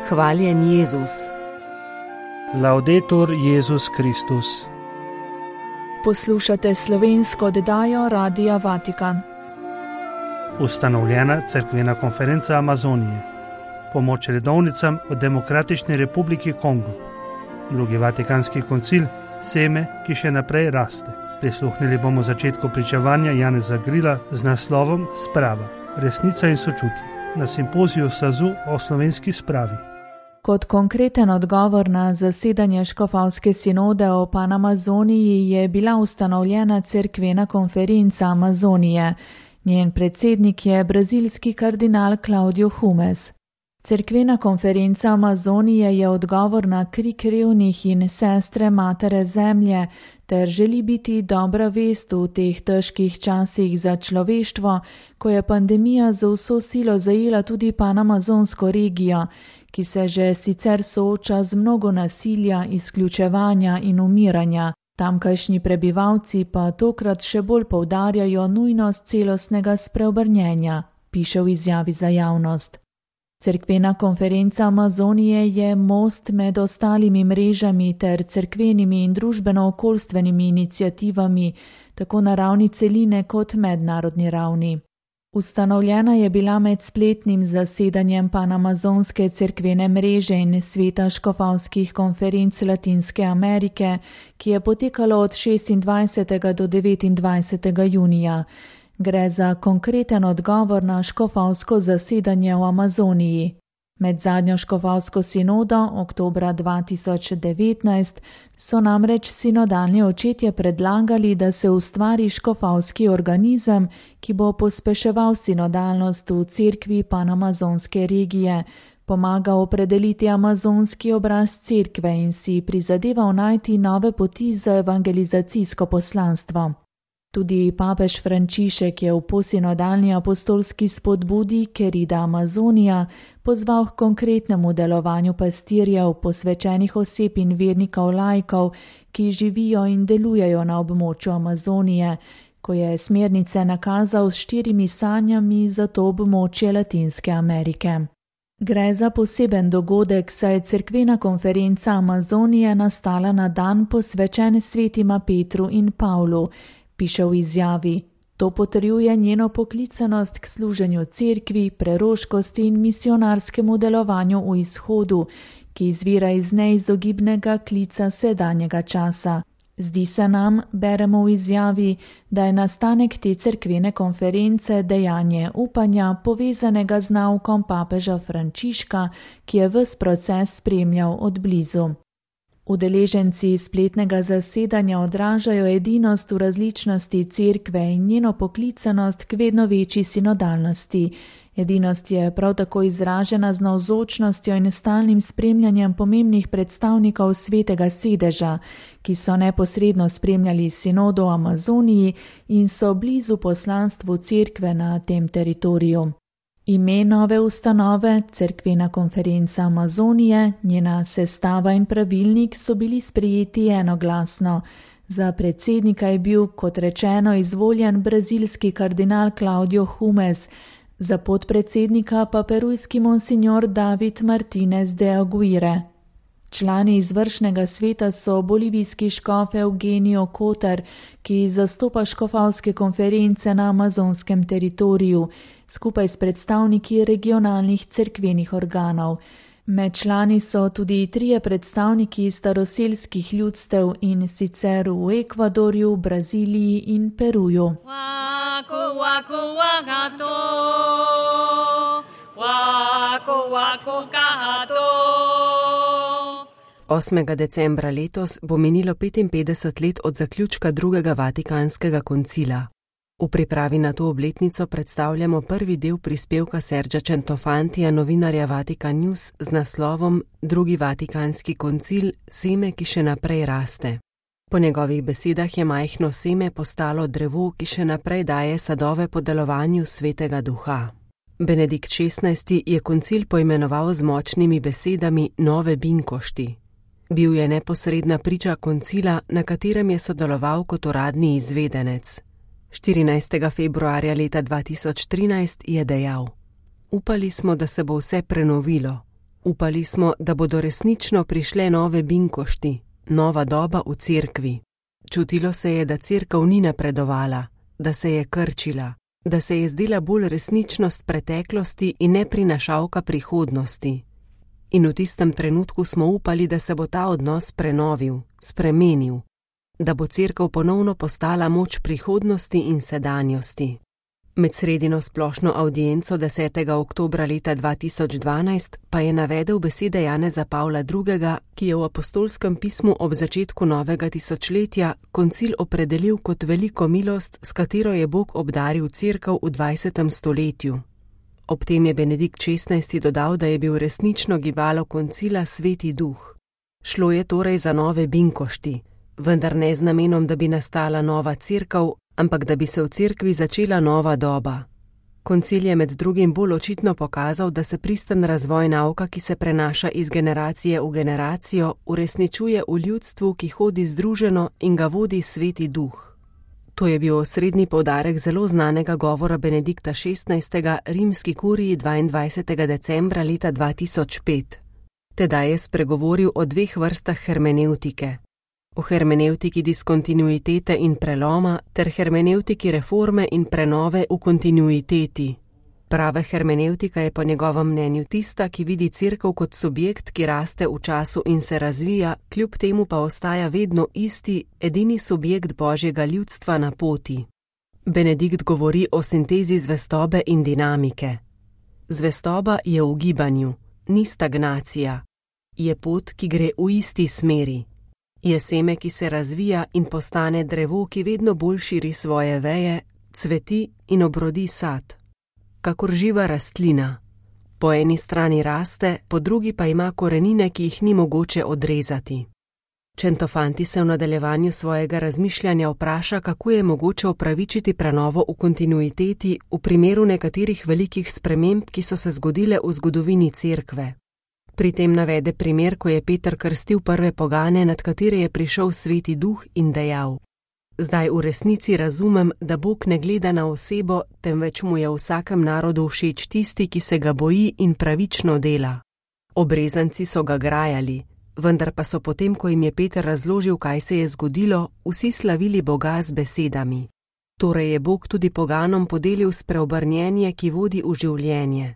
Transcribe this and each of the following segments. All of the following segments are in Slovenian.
Hvaljen Jezus. Laudetur Jezus Kristus. Poslušate slovensko oddajo Radia Vatikan. Ustanovljena cerkvena konferenca Amazonije. Pomoč redovnicam v Demokratični republiki Kongo. Drugi vatikanski koncil, seme, ki še naprej raste. Prisluhnili bomo začetku pričevanja Janeza Grila z naslovom Sprava, resnica in sočutje na simpoziju SAZU o slovenski spravi. Kot konkreten odgovor na zasedanje škofovske sinode o Panamazoniji je bila ustanovljena cerkvena konferenca Amazonije. Njen predsednik je brazilski kardinal Claudio Humes. Cerkvena konferenca Amazonije je odgovor na krik revnih in sestre matere zemlje ter želi biti dobra vest v teh težkih časih za človeštvo, ko je pandemija z vso silo zajela tudi panamazonsko regijo, ki se že sicer sooča z mnogo nasilja, izključevanja in umiranja. Tamkajšnji prebivalci pa tokrat še bolj poudarjajo nujnost celostnega spreobrnjenja, piše v izjavi za javnost. Cerkvena konferenca Amazonije je most med ostalimi mrežami ter cerkvenimi in družbeno-okoljstvenimi iniciativami, tako na ravni celine kot mednarodni ravni. Ustanovljena je bila med spletnim zasedanjem Panamazonske cerkvene mreže in sveta škofovskih konferenc Latinske Amerike, ki je potekalo od 26. do 29. junija. Gre za konkreten odgovor na škofovsko zasedanje v Amazoniji. Med zadnjo škofovsko sinodo, oktobra 2019, so namreč sinodalni očetje predlagali, da se ustvari škofovski organizem, ki bo pospeševal sinodalnost v cerkvi panamazonske regije, pomagal opredeliti amazonski obraz cerkve in si prizadeval najti nove poti za evangelizacijsko poslanstvo. Tudi papež Frančišek je v posinodalni apostolski spodbudi Querida Amazonija pozval k konkretnemu delovanju pastirjev, posvečenih oseb in vernikov laikov, ki živijo in delujejo na območju Amazonije, ko je smernice nakazal s 4 sanjami za to območje Latinske Amerike. Gre za poseben dogodek, saj je cerkvena konferenca Amazonije nastala na dan posvečen svetima Petru in Pavlu, piše v izjavi. To potrjuje njeno poklicanost k služenju cerkvi, preroškosti in misionarskemu delovanju v izhodu, ki izvira iz neizogibnega klica sedanjega časa. Zdi se nam, beremo v izjavi, da je nastanek te cerkvene konference dejanje upanja povezanega z naukom papeža Frančiška, ki je ves proces spremljal od blizu. Udeleženci spletnega zasedanja odražajo edinost v različnosti cerkve in njeno poklicanost k vedno večji sinodalnosti. Edinost je prav tako izražena z navzočnostjo in stalnim spremljanjem pomembnih predstavnikov svetega sedeža, ki so neposredno spremljali sinodo v Amazoniji in so blizu poslanstvu cerkve na tem teritoriju. Ime nove ustanove, cerkvena konferenca Amazonije, njena sestava in pravilnik so bili sprejeti enoglasno. Za predsednika je bil, kot rečeno, izvoljen brazilski kardinal Claudio Humes, za podpredsednika pa perujski monsignor David Martinez de Aguirre. Člani izvršnega sveta so bolivijski škof Eugenio Cotar, ki zastopa škofovske konference na amazonskem teritoriju, skupaj s predstavniki regionalnih cerkvenih organov. Med člani so tudi 3 predstavniki staroselskih ljudstev in sicer v Ekvadorju, Braziliji in Peruju. 8. decembra letos bo minilo 55 let od zaključka drugega vatikanskega koncila. V pripravi na to obletnico predstavljamo prvi del prispevka Sergia Centofantija, novinarja Vatikan News, z naslovom Drugi vatikanski koncil, seme, ki še naprej raste. Po njegovih besedah je majhno seme postalo drevo, ki še naprej daje sadove po delovanju Svetega Duha. Benedikt XVI. Je koncil poimenoval z močnimi besedami nove binkošti. Bil je neposredna priča koncila, na katerem je sodeloval kot uradni izvedenec. 14. februarja leta 2013 je dejal: Upali smo, da se bo vse prenovilo. Upali smo, da bodo resnično prišle nove binkošti, nova doba v cerkvi. Čutilo se je, da cerkev ni napredovala, da se je krčila, da se je zdela bolj resničnost preteklosti in ne prinašalka prihodnosti. In v tistem trenutku smo upali, da se bo ta odnos prenovil, spremenil, da bo cerkev ponovno postala moč prihodnosti in sedanjosti. Med sredino splošno avdienco 10. oktobra leta 2012 pa je navedel besede Janeza Pavla II., ki je v apostolskem pismu ob začetku novega tisočletja koncil opredelil kot veliko milost, s katero je Bog obdaril cerkev v 20. stoletju. Ob tem je Benedikt XVI. Dodal, da je bil resnično gibalo koncila Sveti Duh. Šlo je torej za nove binkošti, vendar ne z namenom, da bi nastala nova cerkev, ampak da bi se v cerkvi začela nova doba. Koncil je med drugim bolj očitno pokazal, da se pristen razvoj nauka, ki se prenaša iz generacije v generacijo, uresničuje v ljudstvu, ki hodi združeno in ga vodi Sveti Duh. To je bil osrednji poudarek zelo znanega govora Benedikta XVI. Rimski kuriji 22. decembra leta 2005. Tedaj je spregovoril o dveh vrstah hermenevtike. O hermenevtiki diskontinuitete in preloma ter hermenevtiki reforme in prenove v kontinuiteti. Prava hermenevtika je po njegovem mnenju tista, ki vidi cerkev kot subjekt, ki raste v času in se razvija, kljub temu pa ostaja vedno isti, edini subjekt Božjega ljudstva na poti. Benedikt govori o sintezi zvestobe in dinamike. Zvestoba je v gibanju, ni stagnacija. Je pot, ki gre v isti smeri. Je seme, ki se razvija in postane drevo, ki vedno bolj širi svoje veje, cveti in obrodi sad. Kakor živa rastlina. Po eni strani raste, po drugi pa ima korenine, ki jih ni mogoče odrezati. Centofanti se v nadaljevanju svojega razmišljanja vpraša, kako je mogoče opravičiti prenovo v kontinuiteti v primeru nekaterih velikih sprememb, ki so se zgodile v zgodovini cerkve. Pri tem navede primer, ko je Peter krstil prve pogane, nad katere je prišel Sveti Duh in dejal: Zdaj v resnici razumem, da Bog ne gleda na osebo, temveč mu je v vsakem narodu všeč tisti, ki se ga boji in pravično dela. Obrezanci so ga grajali, vendar pa so potem, ko jim je Peter razložil, kaj se je zgodilo, vsi slavili Boga z besedami. Torej je Bog tudi poganom podelil spreobrnjenje, ki vodi v življenje.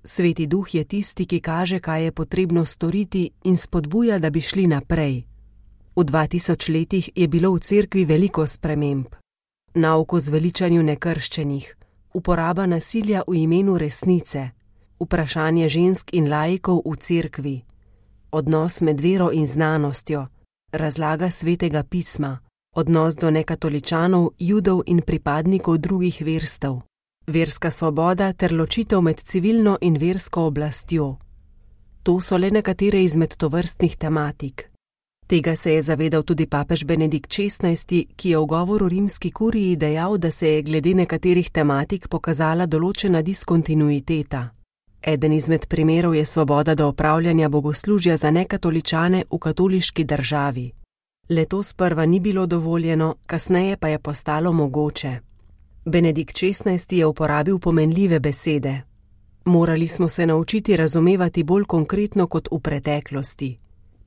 Sveti Duh je tisti, ki kaže, kaj je potrebno storiti in spodbuja, da bi šli naprej. V 2000 letih je bilo v cerkvi veliko sprememb. Nauk o zveličanju nekrščenih, uporaba nasilja v imenu resnice, vprašanje žensk in laikov v cerkvi, odnos med vero in znanostjo, razlaga Svetega pisma, odnos do nekatoličanov, judov in pripadnikov drugih verstev, verska svoboda ter ločitev med civilno in versko oblastjo. To so le nekatere izmed tovrstnih tematik. Tega se je zavedal tudi papež Benedikt XVI., ki je v govoru rimski kuriji dejal, da se je glede nekaterih tematik pokazala določena diskontinuiteta. Eden izmed primerov je svoboda do opravljanja bogoslužja za nekatoličane v katoliški državi. Le to sprva ni bilo dovoljeno, kasneje pa je postalo mogoče. Benedikt XVI. Je uporabil pomenljive besede. Morali smo se naučiti razumevati bolj konkretno kot v preteklosti.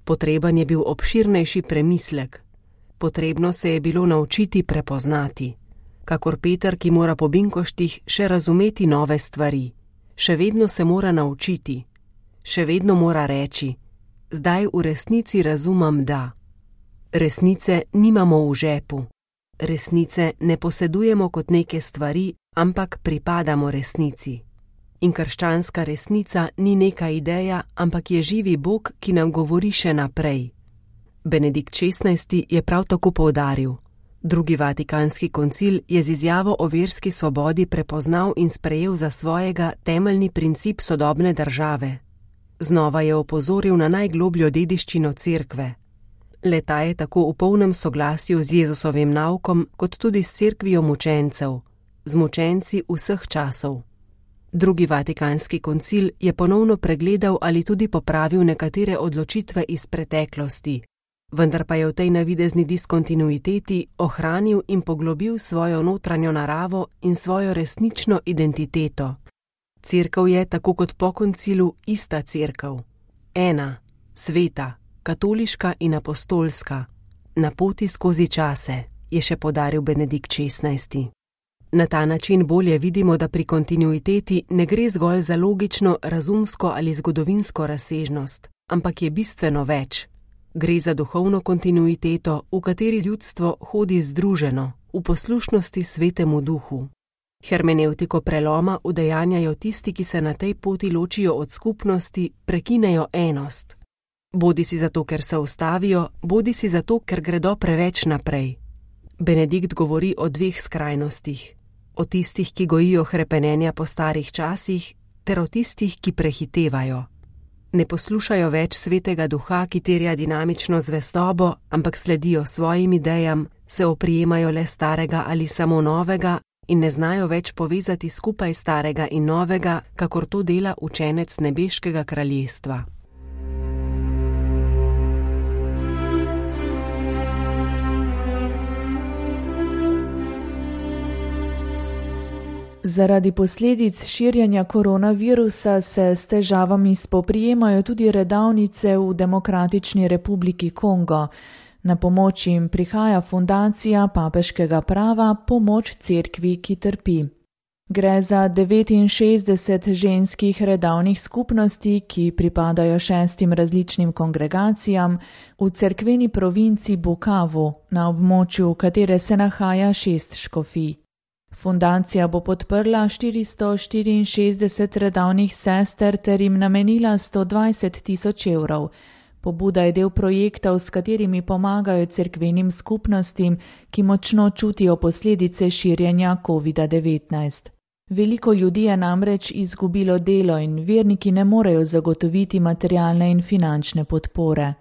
Potreben je bil obširnejši premislek. Potrebno se je bilo naučiti prepoznati. Kakor Peter, ki mora po binkoštih še razumeti nove stvari. Še vedno se mora naučiti. Še vedno mora reči: zdaj v resnici razumem, da. Resnice nimamo v žepu. Resnice ne posedujemo kot neke stvari, ampak pripadamo resnici. In krščanska resnica ni neka ideja, ampak je živi Bog, ki nam govori še naprej. Benedikt XVI. Je prav tako poudaril: Drugi vatikanski koncil je z izjavo o verski svobodi prepoznal in sprejel za svojega temeljni princip sodobne države. Znova je opozoril na najglobljo dediščino cerkve. Le-ta je tako v polnem soglasju z Jezusovim naukom, kot tudi s cerkvijo mučencev, z mučenci vseh časov. Drugi vatikanski koncil je ponovno pregledal ali tudi popravil nekatere odločitve iz preteklosti, vendar pa je v tej navidezni diskontinuiteti ohranil in poglobil svojo notranjo naravo in svojo resnično identiteto. Cerkev je, tako kot po koncilu, ista cerkev. Ena, sveta, katoliška in apostolska, na poti skozi čase, je še poudaril Benedikt XVI. Na ta način bolje vidimo, da pri kontinuiteti ne gre zgolj za logično, razumsko ali zgodovinsko razsežnost, ampak je bistveno več. Gre za duhovno kontinuiteto, v kateri ljudstvo hodi združeno, v poslušnosti Svetemu Duhu. Hermenevtiko preloma udejanjajo tisti, ki se na tej poti ločijo od skupnosti, prekinejo enost. Bodisi zato, ker se ustavijo, bodisi zato, ker gredo preveč naprej. Benedikt govori o dveh skrajnostih. O tistih, ki gojijo hrepenenja po starih časih, ter o tistih, ki prehitevajo. Ne poslušajo več Svetega Duha, ki terja dinamično zvestobo, ampak sledijo svojim idejam, se oprijemajo le starega ali samo novega in ne znajo več povezati skupaj starega in novega, kakor to dela učenec nebeškega kraljestva. Zaradi posledic širjenja koronavirusa se s težavami spoprijemajo tudi redavnice v Demokratični republiki Kongo. Na pomoč jim prihaja fundacija papeškega prava Pomoč cerkvi, ki trpi. Gre za 69 ženskih redavnih skupnosti, ki pripadajo 6 različnim kongregacijam v cerkveni provinci Bukavu, na območju katere se nahaja 6 škofij. Fundacija bo podprla 464 redavnih sester ter jim namenila 120 000 evrov. Pobuda je del projektov, s katerimi pomagajo cerkvenim skupnostim, ki močno čutijo posledice širjenja COVID-19. Veliko ljudi je namreč izgubilo delo in verniki ne morejo zagotoviti materialne in finančne podpore.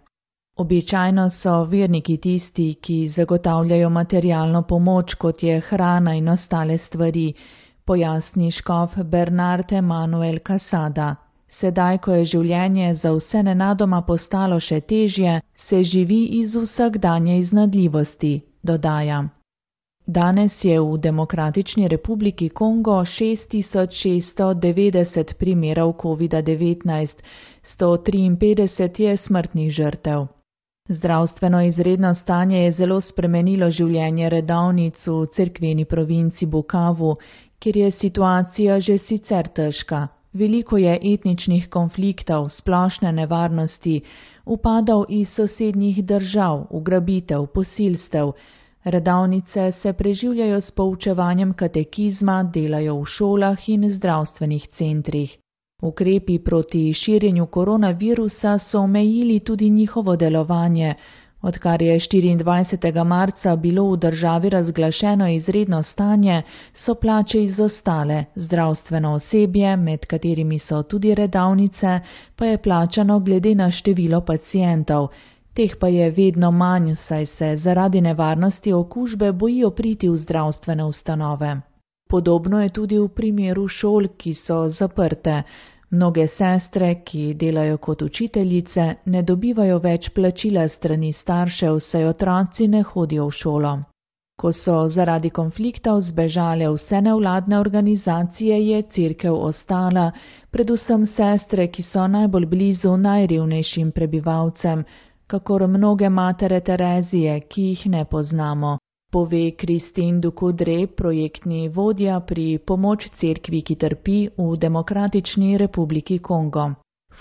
Običajno so verniki tisti, ki zagotavljajo materialno pomoč, kot je hrana in ostale stvari, pojasni škof Bernard Emanuel Casada. Sedaj, ko je življenje za vse nenadoma postalo še težje, se živi iz vsakdanje iznadljivosti, dodaja. Danes je v Demokratični republiki Kongo 6690 primerov COVID-19, 153 je smrtnih žrtev. Zdravstveno izredno stanje je zelo spremenilo življenje redavnic v cerkveni provinci Bukavu, kjer je situacija že sicer težka. Veliko je etničnih konfliktov, splošne nevarnosti, upadov iz sosednjih držav, ugrabitev, posilstev. Redavnice se preživljajo s poučevanjem katekizma, delajo v šolah in zdravstvenih centrih. Ukrepi proti širjenju koronavirusa so omejili tudi njihovo delovanje. Odkar je 24. marca bilo v državi razglašeno izredno stanje, so plače izostale, zdravstveno osebje, med katerimi so tudi redavnice, pa je plačano glede na število pacientov. Teh pa je vedno manj, saj se zaradi nevarnosti okužbe bojijo priti v zdravstvene ustanove. Podobno je tudi v primeru šol, ki so zaprte. Mnoge sestre, ki delajo kot učiteljice, ne dobivajo več plačila strani staršev, saj otroci ne hodijo v šolo. Ko so zaradi konfliktov zbežale vse nevladne organizacije, je cerkev ostala, predvsem sestre, ki so najbolj blizu najrevnejšim prebivalcem, kakor mnoge matere Terezije, ki jih ne poznamo, pove Christine Ducoudray, projektni vodja pri Pomoč cerkvi, ki trpi v Demokratični republiki Kongo.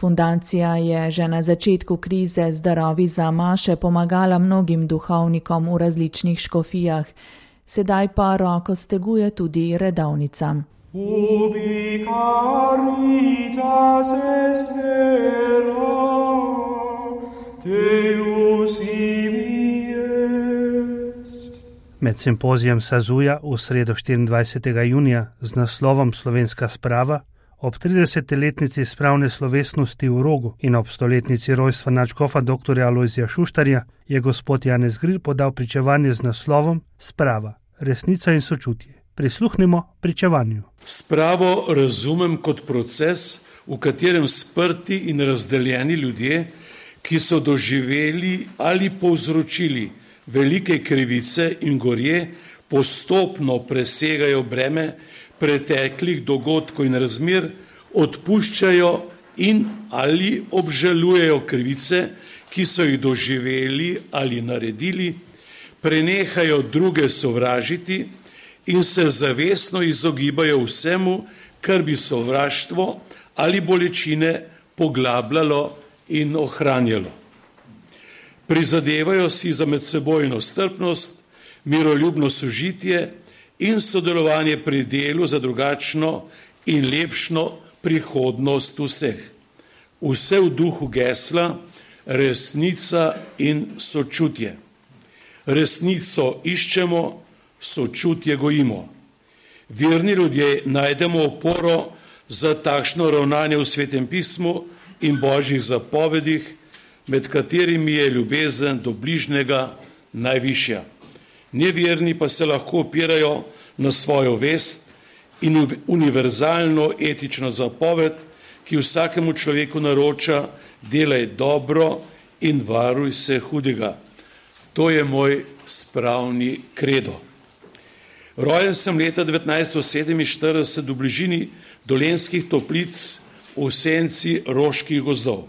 Fundacija je že na začetku krize z darovi za maše pomagala mnogim duhovnikom v različnih škofijah, sedaj pa roko steguje tudi redavnicam. Ubi caritas est vera, Deus ibi est. Med simpozijem Sazuja v sredo 24. junija z naslovom Slovenska sprava ob 30-letnici spravne slovesnosti v Rogu in ob 100-letnici rojstva nadškofa dr. Alojzija Šuštarja je gospod Janez Gril podal pričevanje z naslovom Sprava, resnica in sočutje. Prisluhnimo pričevanju. Spravo razumem kot proces, v katerem sprti in razdeljeni ljudje, ki so doživeli ali povzročili velike krivice in gorje, postopno presegajo breme preteklih dogodkov in razmer, odpuščajo in ali obžalujejo krivice, ki so jih doživeli ali naredili, prenehajo druge sovražiti in se zavestno izogibajo vsemu, kar bi sovraštvo ali bolečine poglabljalo in ohranjalo. Prizadevajo si za medsebojno strpnost, miroljubno sožitje in sodelovanje pri delu za drugačno in lepšno prihodnost vseh. Vse v duhu gesla resnica in sočutje. Resnico iščemo, sočutje gojimo. Verni ljudje najdemo oporo za takšno ravnanje v Svetem pismu in Božjih zapovedih, med katerimi je ljubezen do bližnjega najvišja. Neverni pa se lahko opirajo na svojo vest in univerzalno etično zapoved, ki vsakemu človeku naroča: delaj dobro in varuj se hudega. To je moj spravni kredo. Rojen sem leta 1947 v bližini Dolenjskih Toplic v senci Roških gozdov.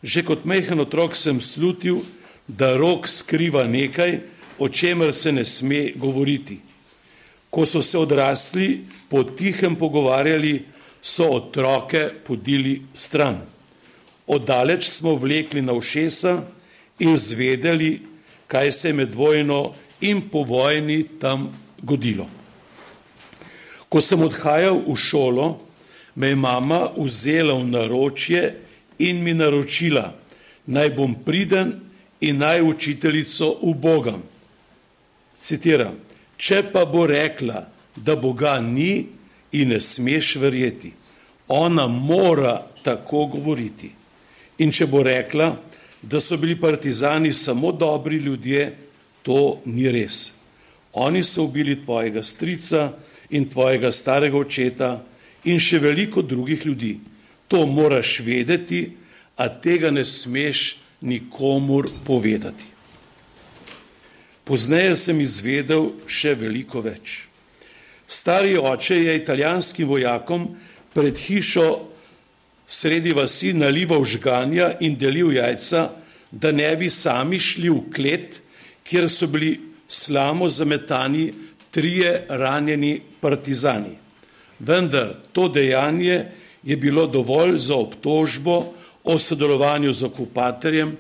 Že kot majhen otrok sem slutil, da rok skriva nekaj, o čemer se ne sme govoriti. Ko so se odrasli potihem pogovarjali, so otroke podili stran. Oddaleč smo vlekli na ušesa in zvedeli, kaj se je med vojno in po vojni tam godilo. Ko sem odhajal v šolo, me je mama vzela v naročje in mi naročila, naj bom priden in naj učiteljico ubogam. Citiram: če pa bo rekla, da Boga ni in ne smeš verjeti, ona mora tako govoriti. In če bo rekla, da so bili partizani samo dobri ljudje, to ni res. Oni so ubili tvojega strica in tvojega starega očeta in še veliko drugih ljudi. To moraš vedeti, a tega ne smeš nikomur povedati. Pozneje sem izvedel še veliko več. Stari oče je italijanskim vojakom pred hišo sredi vasi nalival žganja in delil jajca, da ne bi sami šli v klet, kjer so bili slamo zametani 3 ranjeni partizani. Vendar to dejanje je bilo dovolj za obtožbo o sodelovanju z okupatorjem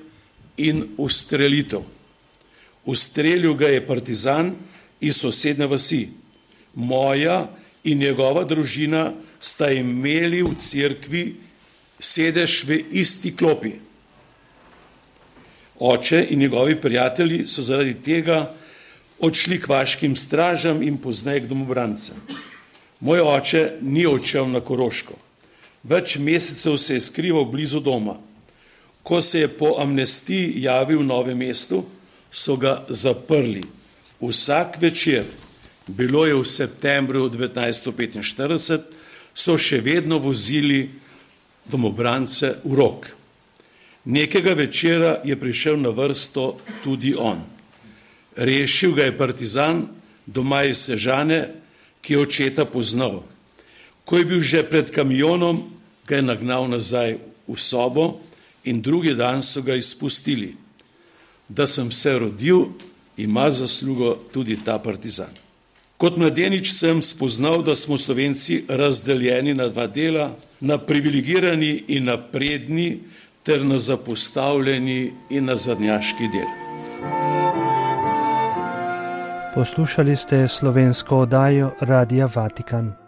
in ustrelitev. Ustrelil ga je partizan iz sosednje vasi. Moja in njegova družina sta imeli v cerkvi sedež v isti klopi. Oče in njegovi prijatelji so zaradi tega odšli k vaškim stražam in pozneje k domobrancem. Moj oče ni odšel na Koroško. Več mesecev se je skrival blizu doma. Ko se je po amnestiji javil v Novem mestu, so ga zaprli. Vsak večer, bilo je v septembru 1945, so še vedno vozili domobrance v Rog. Nekega večera je prišel na vrsto tudi on. Rešil ga je partizan doma iz Sežane, ki je očeta poznal. Ko je bil že pred kamionom, ga je nagnal nazaj v sobo in drugi dan so ga izpustili. Da sem se rodil, ima zaslugo tudi ta partizan. Kot mladenič sem spoznal, da smo Slovenci razdeljeni na 2 dela, na privilegirani in napredni ter na zapostavljeni in nazadnjaški del. Poslušali ste slovensko oddajo Radia Vatikan.